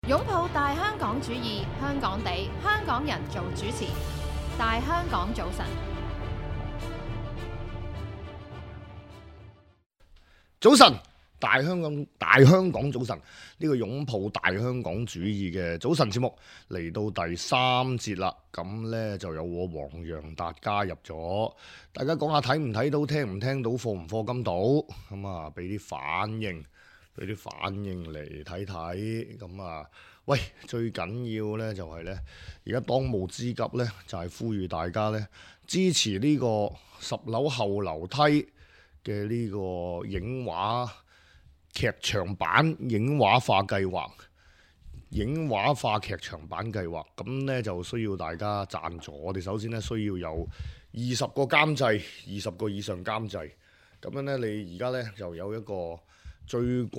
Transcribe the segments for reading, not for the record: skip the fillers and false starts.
擁抱大香港主義，香港地，香港人做主持。大香港早晨，早晨，大香港早晨，呢個擁抱大香港主義嘅早晨節目嚟到第三節啦。咁呢就有我黃洋達加入咗，大家講下睇唔睇到、聽唔聽到、課唔課金到，咁啊俾啲反應嚟睇睇。咁啊，喂，最緊要呢就係呢，而家當務之急呢，就係呼籲大家呢支持呢個10樓後樓梯嘅呢個影畫劇場版影畫化計劃，影畫化劇場版計劃，咁呢就需要大家贊助。我哋首先呢需要有20個監製，20個以上監製。咁樣呢，你而家呢就有一個最貴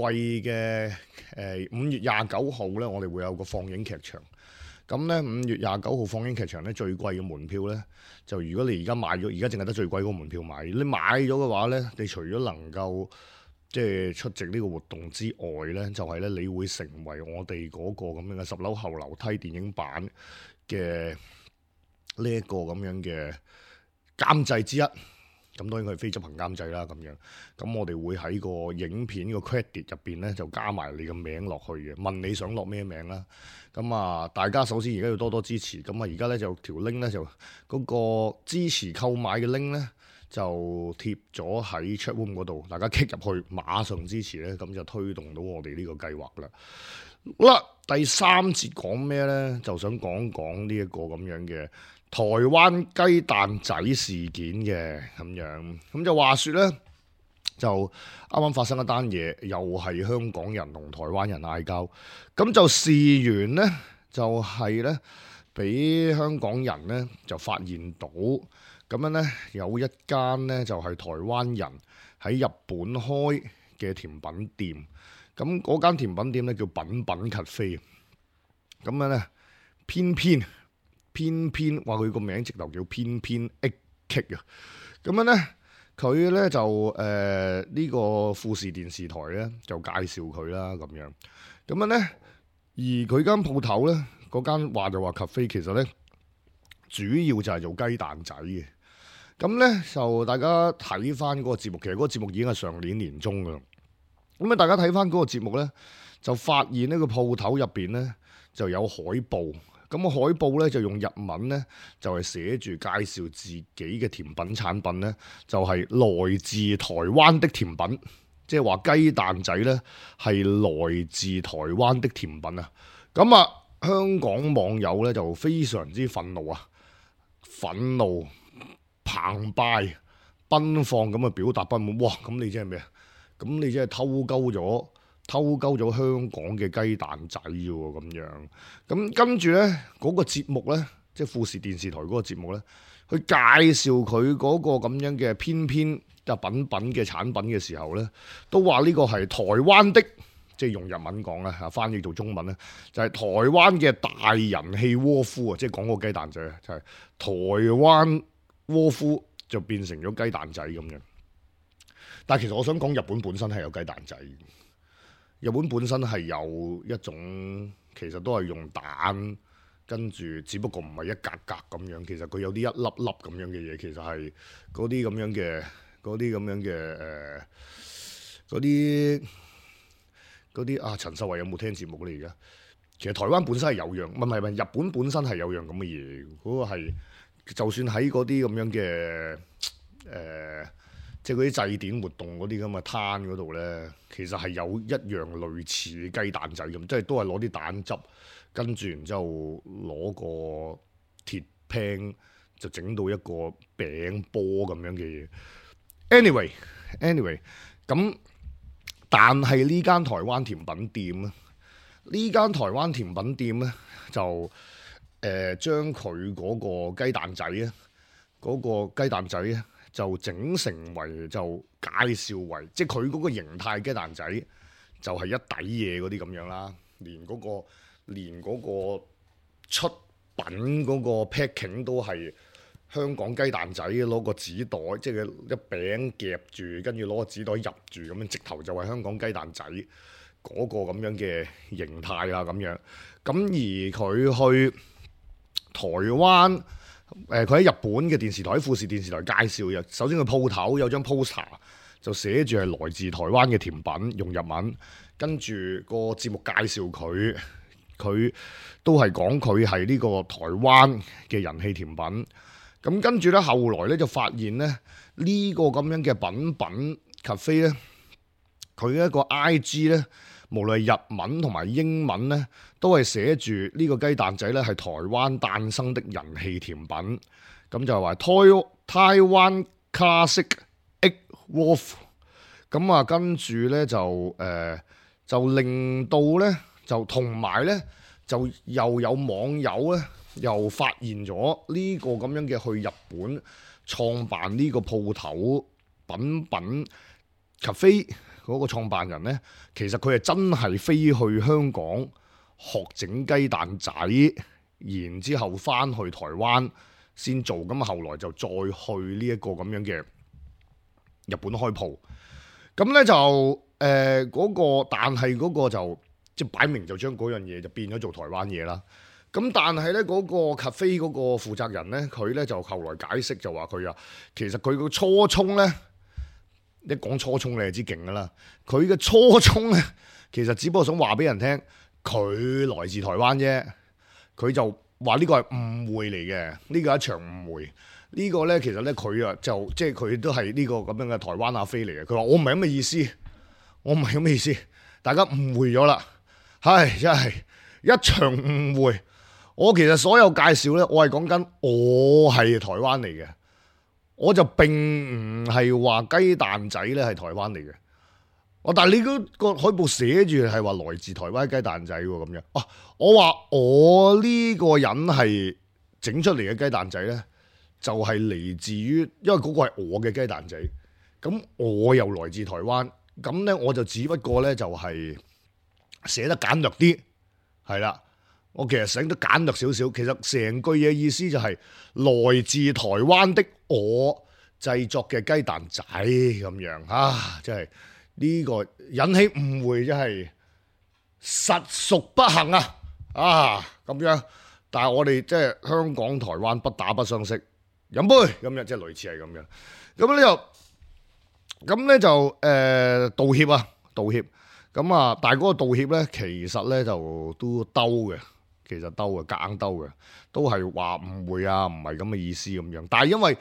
嘅5月29號呢，我哋會有個放映劇場。咁呢5月29號放映劇場呢，最貴嘅門票呢，就如果你而家買咗，而家淨係得最貴嗰個門票買，你買咗嘅話呢，你除咗能夠即係出席呢個活動之外呢，就係呢，你會成為我哋嗰個咁樣嘅10樓後樓梯電影版嘅呢一個咁樣嘅監製之一。咁當然佢係非執行監製啦，咁樣。咁我哋會喺個影片個 credit 入邊呢，就加埋你個名落去嘅，問你想落咩名啦。咁啊，大家首先而家要多多支持。咁啊，而家呢，就條 link 呢，就嗰個支持購買嘅 link 呢，就貼咗喺 chatroom 嗰度，大家 click 入去，馬上支持呢，咁就推動到我哋呢個計劃啦。好啦，第三節講咩呢？就想講講呢一個咁樣嘅台灣雞蛋仔事件嘅咁樣。咁就話說呢，就啱啱發生一單嘢，又係香港人同台灣人嗌交。咁就事緣呢，就係呢，俾香港人呢就發現到咁樣呢，有一間呢就係台灣人喺日本開嘅甜品店。咁嗰間甜品店呢叫品品 Cafe。咁樣呢，偏偏話佢個名直頭叫偏偏 egg cake 啊。咁樣呢，佢呢就呢個富士電視台呢就介紹佢啦咁樣。咁樣呢，而佢間鋪頭呢，嗰間話就話 cafe， 其實呢主要就係做雞蛋仔嘅。咁呢，就大家睇翻嗰個節目，其實嗰個節目已經係上年年中噶啦。咁啊，大家睇翻嗰個節目呢，就發現呢個鋪頭入邊呢就有海報。咁個海報呢，就用日文呢，就係寫住介紹自己嘅甜品產品呢，就係來自台灣的甜品，即係話雞蛋仔呢係來自台灣的甜品啊！咁啊，香港網友呢就非常之憤怒啊，澎湃奔放咁啊表達不滿。哇！咁你真係咩啊？咁你真係偷鳩咗香港嘅雞蛋仔喎咁樣。咁跟住呢嗰個節目呢，即係富士電視台嗰個節目呢，去介紹佢嗰個咁樣嘅偏偏就品嘅產品嘅時候呢，都話呢個係台灣的，即係用日文講啦嚇，翻譯做中文呢，就係台灣嘅大人氣窩夫啊，即係講個雞蛋仔啊，就係台灣窩夫就變成咗雞蛋仔咁樣。但係其實我想講，日本本身係有雞蛋仔。日本本身係有一種，其實都係用蛋，跟住只不過唔係一格格咁樣。其實佢有啲一粒粒咁樣嘅嘢，其實係嗰啲咁樣嘅，嗰啲啊！陳秀慧有冇聽節目咧？而家其實台灣本身係有樣，唔係日本本身係有樣咁嘅嘢。嗰個係就算喺嗰啲咁樣嘅即係嗰啲祭典活動嗰啲咁嘅攤嗰度呢，其實係有一樣類似雞蛋仔咁，即係都係攞啲蛋汁，跟住然之後攞個鐵 pan 就整到一個餅波咁樣嘅嘢。anyway，咁但係呢間台灣甜品店咧，就將佢嗰個雞蛋仔咧，就整成為就介紹為，即係佢嗰個形態雞蛋仔就係一底嘢嗰啲咁樣啦，連嗰個出品嗰個 packing 都係香港雞蛋仔，攞個紙袋，即係一餅夾住，跟住攞個紙袋入住咁樣，直頭就係香港雞蛋仔。嗰個咁樣嘅形態啊咁樣。咁而佢去台灣，佢喺日本嘅電視台，喺富士電視台介紹嘅。首先佢鋪頭有張 poster 就寫住係來自台灣嘅甜品，用日文。跟住個節目介紹佢，佢都係講佢係呢個台灣嘅人氣甜品。咁跟住咧，後來咧就發現咧呢個咁樣嘅品 cafe 咧，佢一個 IG 咧，無論係日文同埋英文咧，都係寫住呢個雞蛋仔咧係台灣誕生的人氣甜品。咁就係話台灣 Classic Egg Waffle。咁啊，跟住咧就令到咧，就同埋咧，就又有網友咧，又發現咗呢個咁樣嘅去日本創辦呢個鋪頭品 cafe 嗰個創辦人咧，其實佢係真係飛去香港學整雞蛋仔，然之後翻去台灣先做，咁後來就再去呢一個咁樣嘅日本開鋪，咁咧就。嗰個，但係嗰個就即係擺明就將嗰樣嘢就變咗做台灣嘢啦。咁但係咧嗰個 cafe 嗰個負責人咧，佢咧就後來解釋就話佢啊，其實佢個初衷咧，一講初衷你就知勁噶啦。佢嘅初衷咧，其實只不過想話俾人聽，佢來自台灣啫。佢就話呢個係誤會嚟嘅，呢個係一場誤會。呢個咧其實咧佢啊就即係佢都係呢個咁樣嘅台灣阿飛嚟嘅。佢話我唔係咁嘅意思。我唔係咁嘅意思，大家誤會咗啦，唉，真係一場誤會。我其實所有介紹咧，我係講緊我係台灣嚟嘅，我就並唔係話雞蛋仔咧係台灣嚟嘅。但係你嗰個海報寫住係話來自台灣雞蛋仔喎，咁樣。我話我呢個人係整出嚟嘅雞蛋仔咧，就係嚟自於，因為嗰個係我嘅雞蛋仔，咁我又來自台灣。咁咧我就只不過咧就係寫得簡略啲，係啦。我其實寫得簡略少少，其實成句嘢意思就係來自台灣的我製作嘅雞蛋仔咁樣啊！真係呢個引起誤會，真係實屬不幸啊！咁樣，但係我哋即係香港台灣不打不相識，飲杯咁樣，即係類似係咁樣。咁咧就道歉咁啊！但係嗰個道歉咧，其實咧就都兜嘅，夾硬兜嘅，都係話誤會啊，唔係咁嘅意思咁樣。但係因為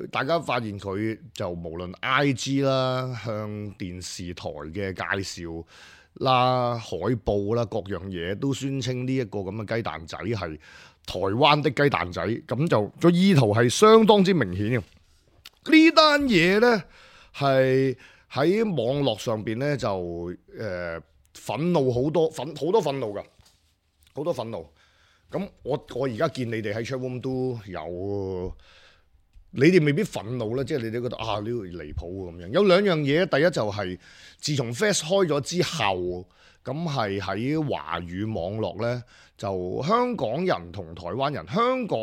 大家發現佢就無論 IG 啦、向電視台嘅介紹啦、海報啦各樣嘢，都宣稱呢一個咁嘅雞蛋仔係台灣的雞蛋仔，咁就個意圖係相當之明顯嘅。呢單嘢咧。係喺網絡上邊咧就憤怒好多憤怒㗎，好多憤怒。咁我而家見你哋喺 chatroom 都有，你哋未必憤怒咧，即係你哋覺得呢個離譜咁樣。有兩樣嘢，第一就係自從 Fast 開咗之後，咁係喺華語網絡咧，就香港人同台灣人、香港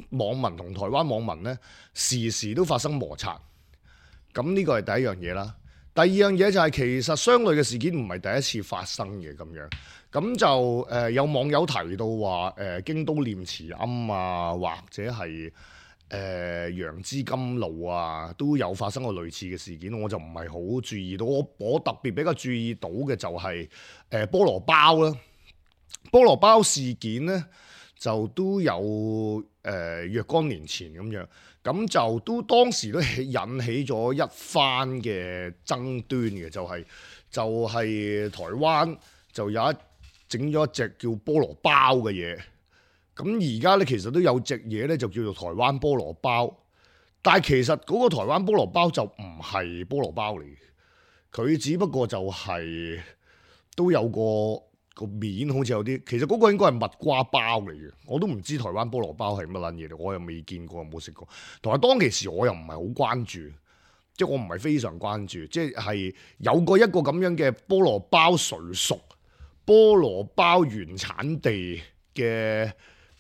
網民同台灣網民咧，時時都發生摩擦。咁呢個係第一樣嘢啦。第二樣嘢就係其實相類嘅事件唔係第一次發生嘅咁樣。咁就有網友提到話京都念慈庵啊，或者係楊枝甘露啊，都有發生過類似嘅事件。我就唔係好注意到。我特別比較注意到嘅就係菠蘿包啦。菠蘿包事件咧就都有若干年前咁樣。咁就都當時都引起咗一番嘅爭端嘅，就係台灣就有整咗一隻叫菠蘿包嘅嘢。咁而家咧其實都有隻嘢咧就叫做台灣菠蘿包，但係其實嗰個台灣菠蘿包就唔係菠蘿包嚟嘅，佢只不過就係都有個面好似有啲，其實嗰個應該係蜜瓜包嚟嘅，我都唔知台灣菠蘿包係乜撚嘢嚟，我又未見過，冇食過。同埋當其時我又唔係好關注，即係我唔係非常關注，即係有過一個咁樣嘅菠蘿包誰屬菠蘿包原產地嘅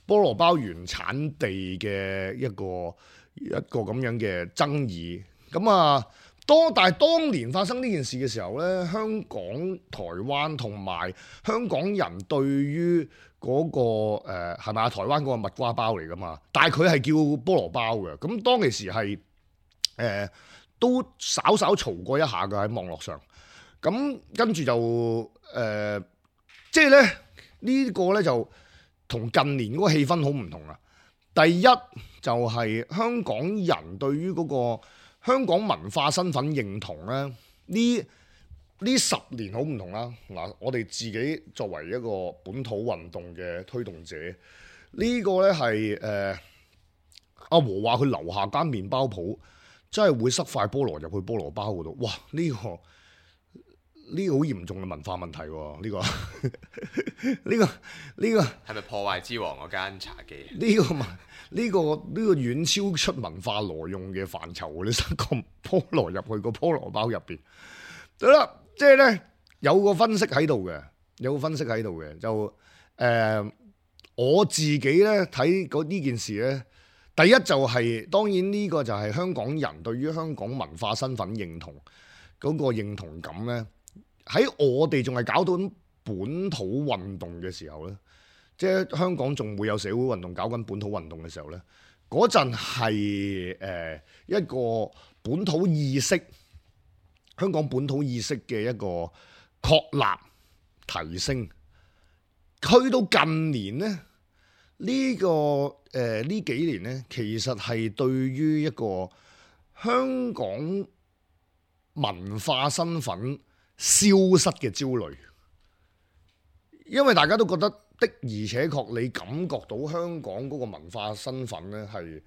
菠蘿包原產地嘅一個咁樣嘅爭議。咁啊，但係當年發生呢件事嘅時候呢，香港、台灣同埋香港人對於嗰個係咪啊？台灣嗰個蜜瓜包嚟㗎嘛，但係佢係叫菠蘿包嘅。咁當其時係都稍稍嘈過一下嘅喺網絡上。咁跟住就即係咧呢個呢，就同近年嗰個氣氛好唔同啊。第一就係香港人對於嗰個香港文化身份認同咧，呢10年好唔同啦。嗱，我哋自己作為一個本土運動嘅推動者，呢個呢係阿和話佢樓下間麵包鋪真係會塞塊菠蘿入去菠蘿包嗰度，哇！呢個好嚴重嘅文化問題喎，呢個係咪破壞之王嗰間茶記？呢個遠超出文化挪用嘅範疇，你塞個菠蘿入去個菠蘿包入邊，得啦，即係呢，有個分析喺度嘅，就我自己呢睇呢件事呢，第一就係當然呢個就係香港人對於香港文化身份認同嗰個認同感呢，喺我哋仲係搞到本土運動嘅時候呢。即係香港仲會有社會運動搞緊本土運動嘅時候呢，嗰陣係一個本土意識，香港本土意識嘅一個確立提升。去到近年呢，呢幾年呢，其實係對於一個香港文化身份消失嘅焦慮，因為大家都覺得。的而且確，你感覺到香港嗰個文化身份呢，係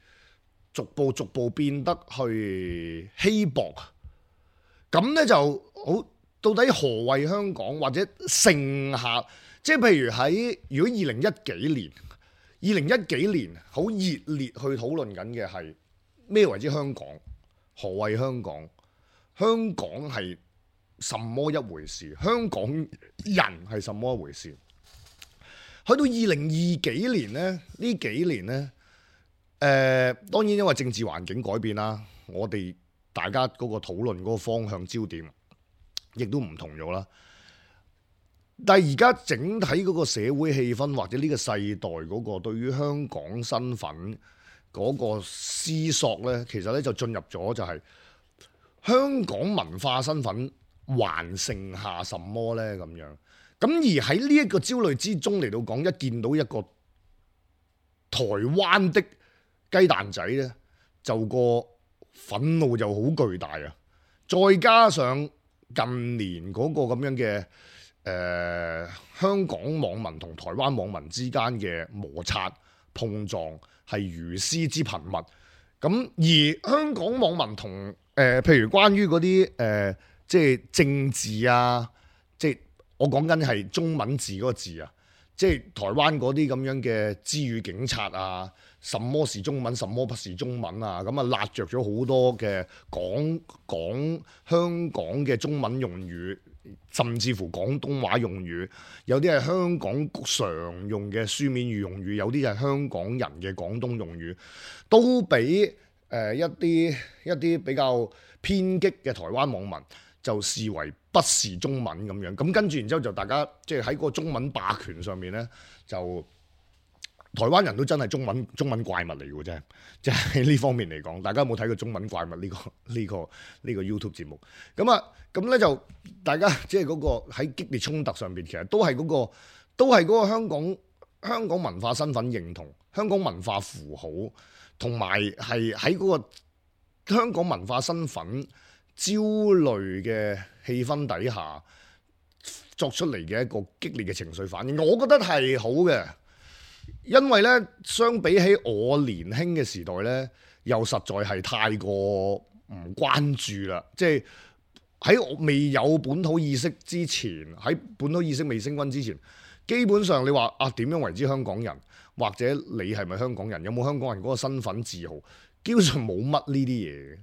逐步變得去稀薄。咁呢就好，到底何謂香港或者剩下？即係譬如如果2010幾年好熱烈去討論緊嘅係咩為之香港？何謂香港？香港係什麼一回事？香港人係什麼一回事？去到2020幾年呢，呢幾年呢，當然因為政治環境改變啦，我哋大家嗰個討論嗰個方向焦點亦都唔同咗啦。但係而家整體嗰個社會氣氛或者呢個世代嗰個對於香港身份嗰個思索呢，其實呢就進入咗就係香港文化身份還剩下什麼呢？咁樣。咁而喺呢一個焦慮之中嚟到講，一見到一個台灣的雞蛋仔呢，就個憤怒就好巨大啊！再加上近年嗰個咁樣嘅香港網民同台灣網民之間嘅摩擦碰撞係如斯之頻密。咁而香港網民同譬如關於嗰啲即係政治啊，即係。我講緊係中文字嗰個字啊，即係台灣嗰啲咁樣嘅支語警察啊，什麼是中文，什麼不是中文啊，咁啊辣着咗好多嘅講香港嘅中文用語，甚至乎廣東話用語，有啲係香港常用嘅書面語用語，有啲係香港人嘅廣東用語，都俾一啲比較偏激嘅台灣網民就視為不是中文咁樣，咁跟住然之後就大家即係喺個中文霸權上面呢，就台灣人都真係中文怪物嚟嘅啫，即係喺呢方面嚟講，大家有冇睇過中文怪物呢個 YouTube 節目？咁呢就大家即係嗰個喺激烈衝突上邊，其實都係嗰個香港文化身份認同、香港文化符號，同埋係喺嗰個香港文化身份焦慮嘅氣氛底下作出嚟嘅一個激烈嘅情緒反應，我覺得係好嘅，因為呢，相比起我年輕嘅時代呢，又實在係太過唔關注啦。即係喺未有本土意識之前，喺本土意識未升溫之前，基本上你話啊點樣為之香港人，或者你係咪香港人，有冇香港人嗰個身份自豪？基本上冇乜呢啲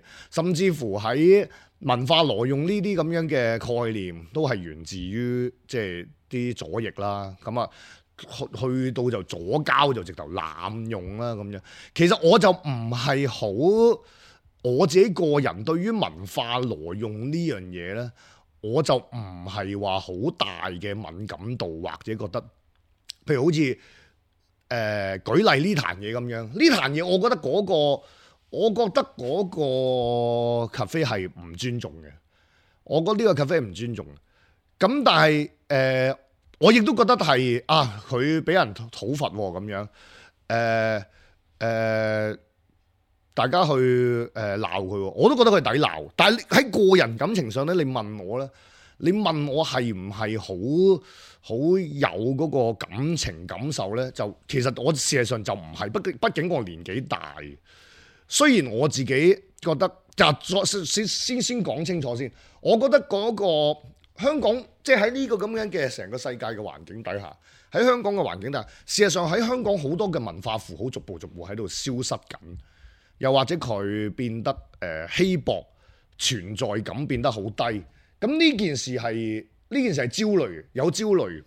嘢，甚至乎喺文化挪用呢啲咁樣嘅概念，都係源自於即係啲左翼啦。咁啊，去到就左膠就直頭濫用啦咁樣。其實我就唔係好我自己個人對於文化挪用呢樣嘢呢，我就唔係話好大嘅敏感度，或者覺得，譬如好似舉例呢壇嘢咁樣，呢壇嘢我覺得嗰個 cafe 係唔尊重嘅，我覺得呢個 cafe 唔尊重。咁但係我亦都覺得係佢俾人討伐咁樣，大家去鬧佢，我都覺得佢抵鬧。但係喺個人感情上咧，你問我係唔係好有嗰個感情感受咧？就其實我事實上就唔係，畢竟我年紀大。雖然我自己覺得，先講清楚先。我覺得嗰個香港，即係喺呢個咁樣嘅成個世界嘅環境底下，喺香港嘅環境底下，事實上喺香港好多嘅文化符號逐步喺度消失緊，又或者佢變得稀薄，存在感變得好低。咁呢件事係焦慮，有焦慮。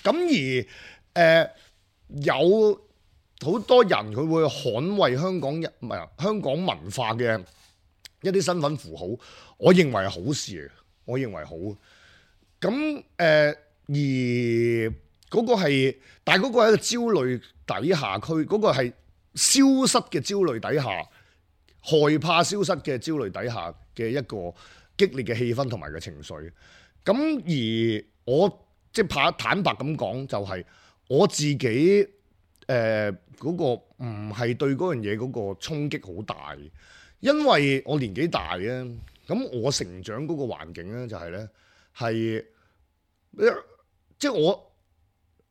咁而有好多人佢會捍衛香港文化嘅一啲身份符號，我認為係好事嚟嘅，我認為好。咁而嗰個係，但係嗰個係一個焦慮底下，佢嗰個係消失嘅焦慮底下，害怕消失嘅焦慮底下嘅一個激烈嘅氣氛同埋嘅情緒。咁而我即係坦白咁講，就係我自己嗰個唔係對嗰樣嘢嗰個衝擊好大，因為我年紀大咧，咁我成長嗰個環境咧就係咧係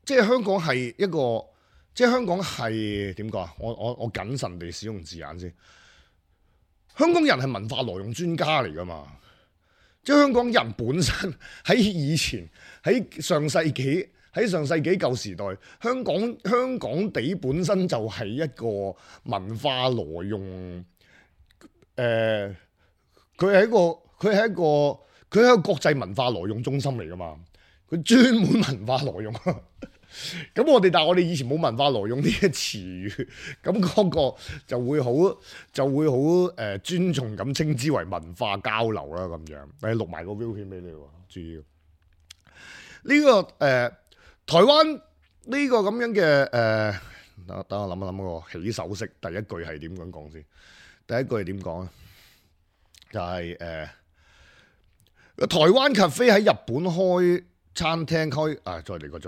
即係香港係一個，即係香港係點講啊？我謹慎地使用字眼先。香港人係文化挪用專家嚟㗎嘛？即係香港人本身喺以前喺上世紀舊時代，香港地本身就係一個文化挪用，佢係一個國際文化挪用中心嚟㗎嘛？佢專門文化挪用。咁但係我哋以前冇文化挪用呢個詞語，咁嗰個就會好尊重咁稱之為文化交流啦咁樣。你錄埋個 view 片俾你喎，注意呢個台灣呢個咁樣嘅等我諗一諗個起手式，第一句係點樣講先？第一句係點講啊？就係台灣 cafe 喺日本開餐廳再嚟個。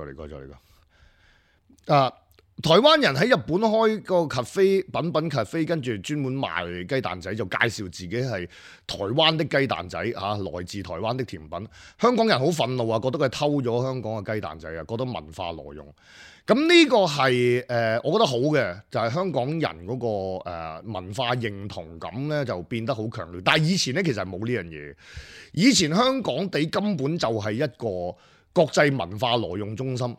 台灣人喺日本開個 cafe， 品 cafe， 跟住專門賣雞蛋仔，就介紹自己係台灣的雞蛋仔來自台灣的甜品。香港人好憤怒啊，覺得佢偷咗香港嘅雞蛋仔啊，覺得文化挪用。咁呢個係我覺得好嘅，就係香港人嗰個文化認同感咧就變得好強烈。但係以前咧其實係冇呢樣嘢，以前香港地根本就係一個國際文化挪用中心。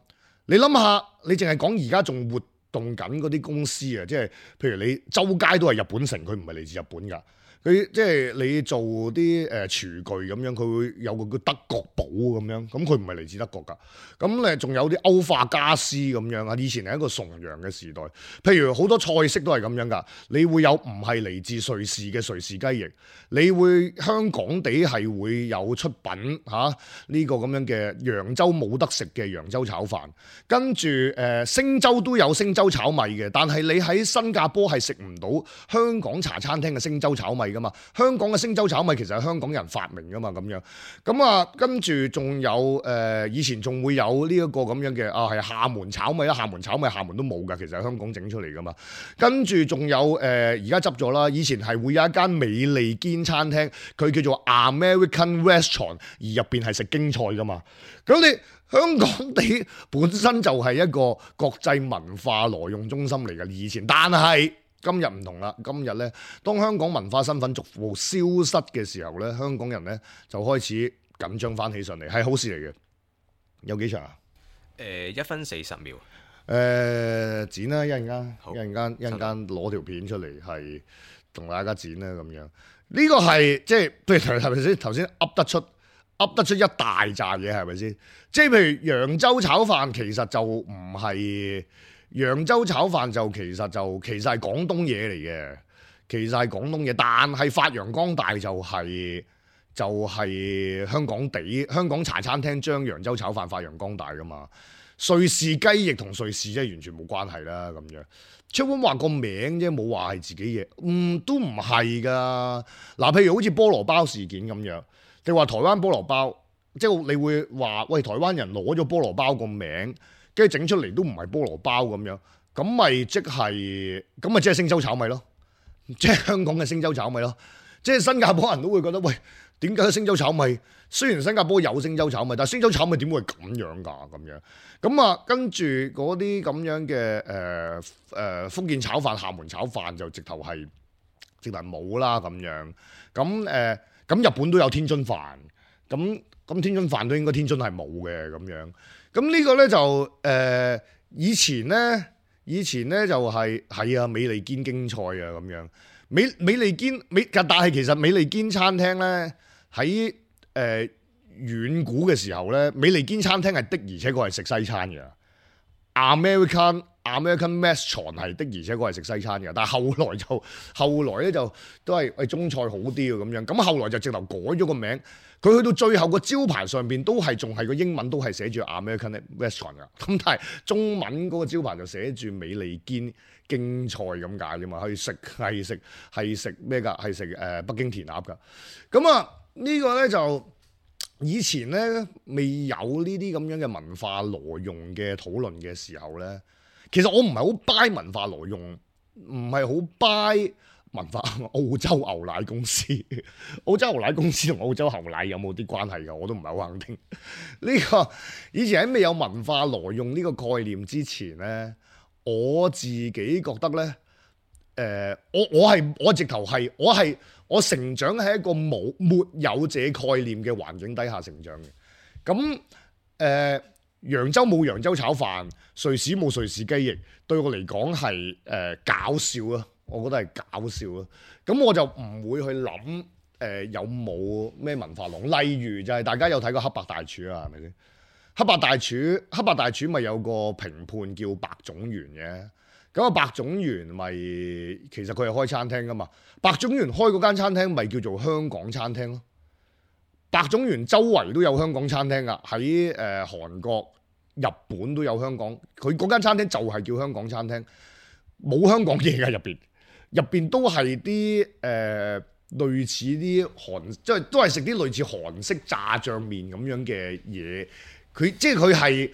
你諗下，你淨係講而家仲活動緊嗰啲公司啊，即係譬如你周街都係日本城，佢唔係嚟自日本㗎。佢即係你做啲廚具咁樣，佢會有個叫德國寶咁樣，咁佢唔係嚟自德國㗎。咁咧仲有啲歐化家私咁樣啊，以前係一個崇洋嘅時代。譬如好多菜式都係咁樣㗎，你會有唔係嚟自瑞士嘅瑞士雞翼，你會香港地係會有出品呢個咁樣嘅揚州冇得食嘅揚州炒飯，跟住星洲都有星洲炒米嘅，但係你喺新加坡係食唔到香港茶餐廳嘅星洲炒米。香港嘅星洲炒米其實係香港人發明噶嘛，咁樣咁跟住仲有以前仲會有呢一個咁樣嘅係廈門炒米啦，廈門都冇噶，其實係香港整出嚟噶嘛。跟住仲有而家執咗啦，以前係會有一間美利堅餐廳，佢叫做 American Restaurant， 而入邊係食京菜噶嘛。咁你香港地本身就係一個國際文化挪用中心嚟嘅以前，但係今日唔同啦，今日咧，當香港文化身份逐步消失嘅時候咧，香港人咧就開始緊張翻起上嚟，係好事嚟嘅。有幾長啊？1分40秒。剪啦，一陣間攞條片出嚟，係同大家剪啦咁樣。呢個係即係，譬如係咪先？頭先噏得出一大扎嘢，係咪先？即係譬如揚州炒飯，其實就唔係。揚州炒飯就其實係廣東嘢嚟嘅，其實係廣東嘢，但係發揚光大就係、香港茶餐廳將揚州炒飯發揚光大噶嘛。瑞士雞翼同瑞士真係完全冇關係啦咁樣。出本話個名啫，冇話係自己嘢，都唔係噶。嗱，譬如好似菠蘿包事件咁樣，你話台灣菠蘿包，即係你會話喂，台灣人攞咗菠蘿包個名，跟住整出嚟都唔係菠蘿包咁樣，咁咪即係星洲炒米咯，即係香港嘅星洲炒米咯。即係新加坡人都會覺得喂，點解星洲炒米？雖然新加坡有星洲炒米，但係星洲炒米點會係咁樣㗎？咁樣咁啊，跟住嗰啲咁樣嘅福建炒飯、廈門炒飯就直頭冇啦咁樣。咁日本都有天津飯，咁天津飯都應該天津係冇嘅咁樣。咁呢個咧就以前咧就係啊美利堅京菜啊咁樣。美利堅但係其實美利堅餐廳咧喺遠古嘅時候咧，美利堅餐廳係的而且確係食西餐嘅。American Restaurant 係的而且確係食西餐嘅，但係後來咧就都係中菜好啲嘅咁樣。咁後來就直頭改咗個名，佢去到最後個招牌上邊都係仲係個英文都係寫住 American Restaurant 㗎。咁但係中文嗰個招牌就寫住美利堅京菜咁解啫嘛，係食咩㗎？係食北京填鴨㗎。咁啊呢個咧就以前咧未有呢啲咁樣嘅文化挪用嘅討論嘅時候咧，其實我唔係好 buy 文化挪用，唔係好 buy 文化澳洲牛奶公司。澳洲牛奶公司同澳洲牛奶有冇啲關係㗎？我都唔係好肯定。呢個以前喺未有文化挪用呢個概念之前咧，我自己覺得咧，我成長喺一個沒有這概念嘅環境底下成長嘅。咁揚州冇揚州炒飯，瑞士冇瑞士雞翼，對我嚟講係搞笑啊！我覺得係搞笑啊！咁我就唔會去諗有冇咩文化籠。例如就係大家有睇過黑白大廚啊，係咪先？黑白大廚咪有個評判叫白種元嘅。咁啊，白種元咪其實佢係開餐廳噶嘛？白種元開嗰間餐廳咪叫做香港餐廳咯。白種元周圍都有香港餐廳噶，喺韓國、日本都有香港。佢嗰間餐廳就係叫香港餐廳，冇香港嘢㗎入邊都係啲類似啲即係都係食啲類似韓式炸醬麵咁樣嘅嘢。佢係，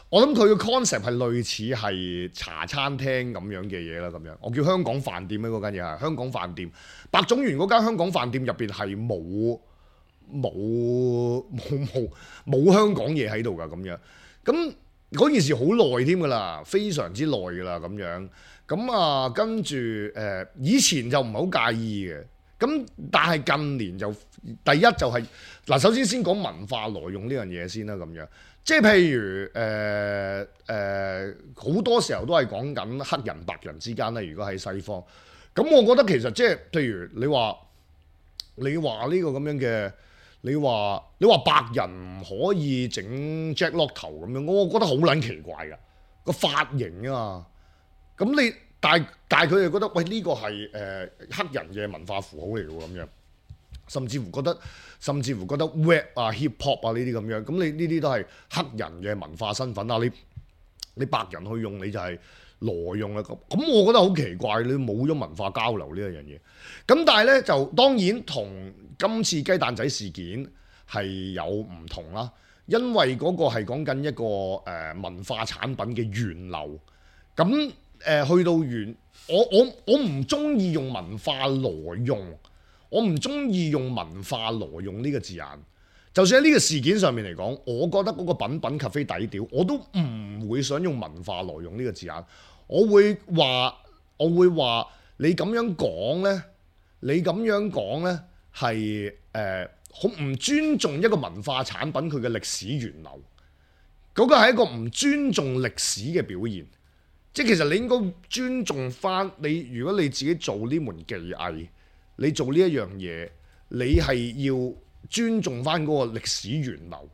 我諗佢嘅 concept 係類似係茶餐廳咁樣嘅嘢啦，咁樣我叫香港飯店咧，嗰間嘢係香港飯店。白種元嗰間香港飯店入邊係冇香港嘢喺度㗎咁樣。咁嗰件事好耐添㗎啦，非常之耐㗎啦咁樣。咁啊，跟住以前就唔係好介意嘅。咁但係近年就第一就係嗱，首先講文化挪用呢樣嘢先啦，咁樣。即係譬如好多時候都係講緊黑人白人之間咧。如果喺西方，咁我覺得其實即係譬如你話呢個咁樣嘅，你話白人唔可以整 Jack Lock 頭咁樣，我覺得好撚奇怪㗎個髮型啊。咁但係佢哋覺得喂，呢個係黑人嘅文化符號嚟㗎咁樣。甚至乎覺得 rap 啊 hip hop 啊呢啲咁樣，咁你呢啲都係黑人嘅文化身份啊，你白人去用你就係挪用啦。咁我覺得好奇怪，你冇咗文化交流呢一樣嘢。咁但係咧就當然同今次雞蛋仔事件係有唔同啦，因為嗰個係講緊一個文化產品嘅源流。咁去到我唔中意用文化挪用。我唔中意用文化挪用呢個字眼，就算喺呢個事件上面嚟講，我覺得嗰個品品咖啡底屌，我都唔會想用文化挪用呢個字眼。我會話你咁樣講呢，係好唔尊重一個文化產品佢嘅歷史源流。嗰個係一個唔尊重歷史嘅表現。即係其實你應該尊重翻你，如果你自己做呢門技藝。你做呢一樣嘢，你係要尊重翻嗰個歷史源流。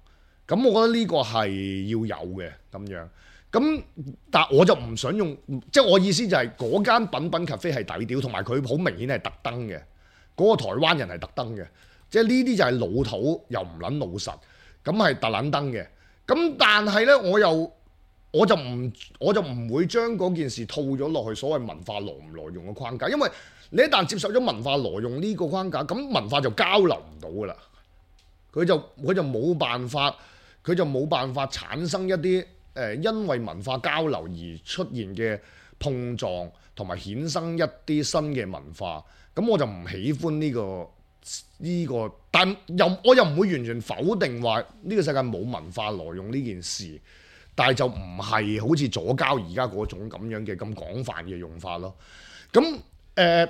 咁我覺得呢個係要有嘅咁樣。咁但我就唔想用，即係我意思就係嗰間品品 cafe 係抵屌，同埋佢好明顯係特登嘅。嗰個台灣人係特登嘅，即係呢啲就係老土又唔撚老實，咁係特撚登嘅。咁但係呢，我就唔會將嗰件事套咗落去所謂文化挪唔挪用嘅框架，因為你一旦接受咗文化挪用呢個框架，咁文化就交流唔到噶啦。佢就冇辦法產生一啲因為文化交流而出現嘅碰撞，同埋衍生一啲新嘅文化。咁我就唔喜歡呢個，但我又唔會完全否定話呢個世界冇文化挪用呢件事，但係就唔係好似左膠而家嗰種咁樣嘅咁廣泛嘅用法咯。咁而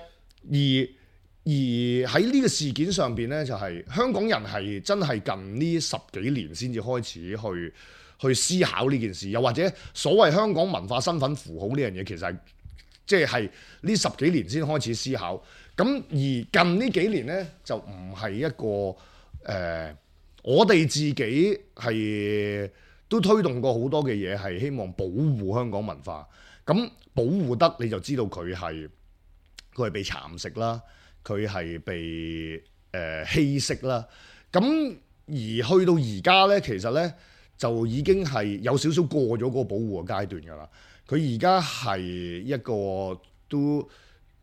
喺呢個事件上邊呢，就係香港人係真係近呢10幾年先至開始去思考呢件事，又或者所謂香港文化身份符號呢樣嘢，其實係即係呢10幾年先開始思考。咁而近呢幾年呢，就唔係一個我哋自己係都推動過好多嘅嘢，係希望保護香港文化。咁保護得你就知道佢係被蠶食啦，佢係被稀釋啦。咁而去到而家呢，其實呢，就已經係有少少過咗嗰個保護嘅階段㗎啦。佢而家係一個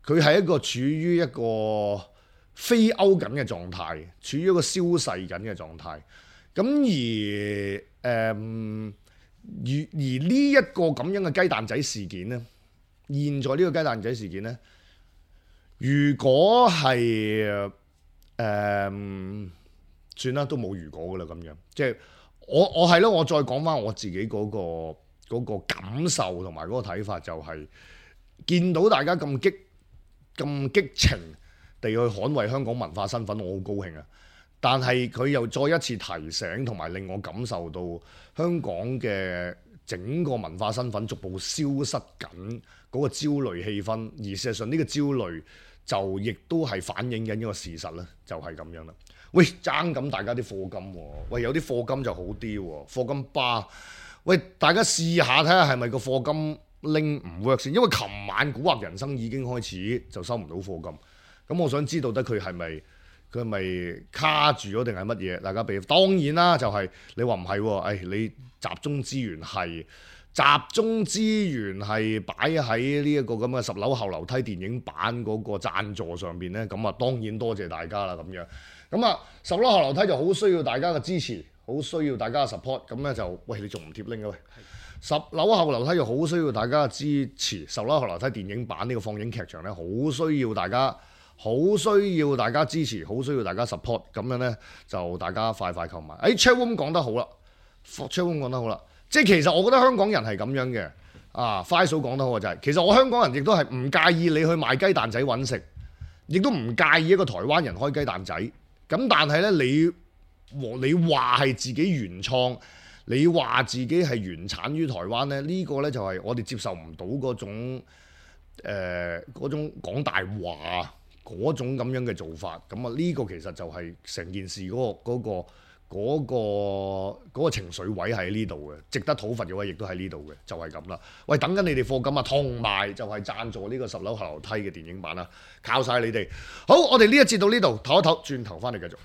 佢係一個處於一個飛歐緊嘅狀態，處於一個消逝緊嘅狀態。咁而呢一個咁樣嘅雞蛋仔事件呢，現在呢個雞蛋仔事件呢，如果係算啦，都冇如果噶啦咁樣。即係我係咯，我再講翻我自己嗰個感受同埋嗰個睇法，就係見到大家咁激情地去捍衛香港文化身份，我好高興啊！但係佢又再一次提醒同埋令我感受到香港嘅整個文化身份逐步消失緊嗰個焦慮氣氛，而事實上呢個焦慮就亦都係反映緊一個事實啦，就係咁樣啦。喂，爭緊大家啲課金喎，喂，有啲課金就好啲喎，課金巴，喂，大家試下睇下係咪個課金拎唔 work 先，因為琴晚古惑人生已經開始就收唔到課金，咁我想知道得佢係咪卡住咗定係乜嘢？大家俾當然啦，就係你話唔係喎，你集中資源係擺喺呢一個咁嘅10樓後樓梯電影版嗰個贊助上邊呢，咁啊當然多謝大家啦咁樣。咁啊10樓後樓梯就好需要大家嘅支持，好需要大家嘅 support。咁咧就喂，你仲唔貼 link 嘅喂？10樓後樓梯就好需要大家嘅支持，10樓後樓梯電影版呢個放映劇場咧，好需要大家支持，好需要大家 support。咁樣咧就大家快購買。Chatroom 講得好啦 ，Chatroom 講得好啦，即係其實我覺得香港人係咁樣嘅。快嫂講得好就係，其實我香港人亦都係唔介意你去賣雞蛋仔揾食，亦都唔介意一個台灣人開雞蛋仔。咁但係咧，你話係自己原創，你話自己係原產於台灣咧，呢個咧就係我哋接受唔到嗰種講大話嗰種咁樣嘅做法。咁啊，呢個其實就係成件事嗰個情緒位喺呢度嘅，值得討伐嘅位亦都喺呢度嘅，就係咁啦。喂，等緊你哋課金啊，同埋就係贊助呢個10樓後樓梯嘅電影版啦，靠晒你哋。好，我哋呢一節到呢度，唞一唞，轉頭翻嚟繼續。